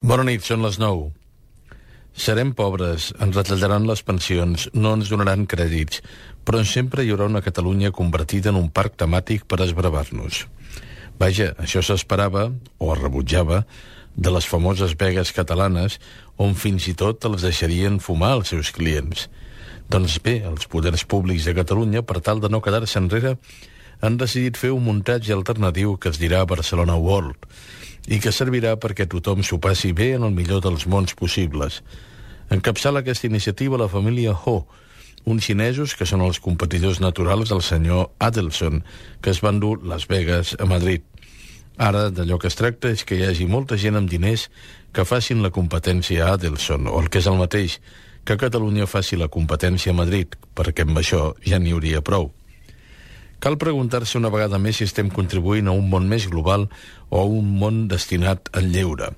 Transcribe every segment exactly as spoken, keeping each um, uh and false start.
Bona nit, són les nou. Serem pobres, ens retallaran les pensions, no ens donaran crèdits, però sempre hi haurà una Catalunya convertida en un parc temàtic per esbravar-nos. Vaja, això s'esperava, o es rebutjava, de les famoses vegues catalanes, on fins i tot els deixarien fumar els seus clients. Doncs bé, els poders públics de Catalunya, per tal de no quedar-se enrere, han decidit fer un muntatge alternatiu que es dirà Barcelona World, i que servirà perquè tothom s'ho passi bé en el millor dels mons possibles. Encapçala aquesta iniciativa la família Ho, uns xinesos que són els competidors naturals del senyor Adelson, que es van dur Las Vegas a Madrid. Ara, d'allò que es tracta és que hi hagi molta gent amb diners que facin la competència a Adelson, o el que és el mateix, que Catalunya faci la competència a Madrid, perquè amb això ja n'hi hauria prou. Cal preguntar-se una vegada més si estem contribuint a un món més global o a un món destinat al lleure.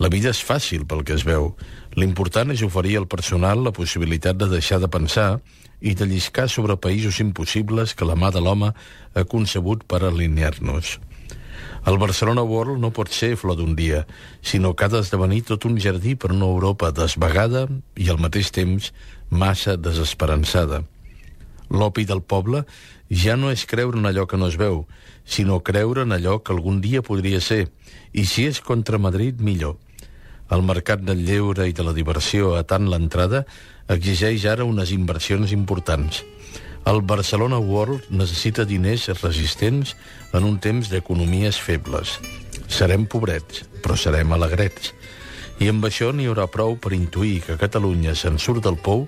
La vida és fàcil pel que es veu. L'important és oferir al personal la possibilitat de deixar de pensar i de lliscar sobre països impossibles que la mà de l'home ha concebut per alinear-nos. El Barcelona World no pot ser flor d'un dia, sinó que ha d'esdevenir tot un jardí per una Europa desvagada i al mateix temps massa desesperançada. L'opi del poble ja no és creure en allò que no es veu, sinó creure en allò que algun dia podria ser, i si és contra Madrid, millor. El mercat del lleure i de la diversió a tant l'entrada exigeix ara unes inversions importants. El Barcelona World necessita diners resistents en un temps d'economies febles. Serem pobrets, però serem alegrets. I amb això n'hi haurà prou per intuir que Catalunya se'n surt del pou,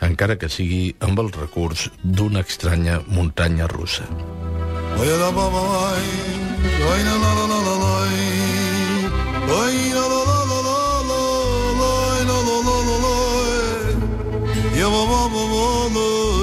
encara que sigui amb el recurs d'una estranya muntanya russa. Ya baba baba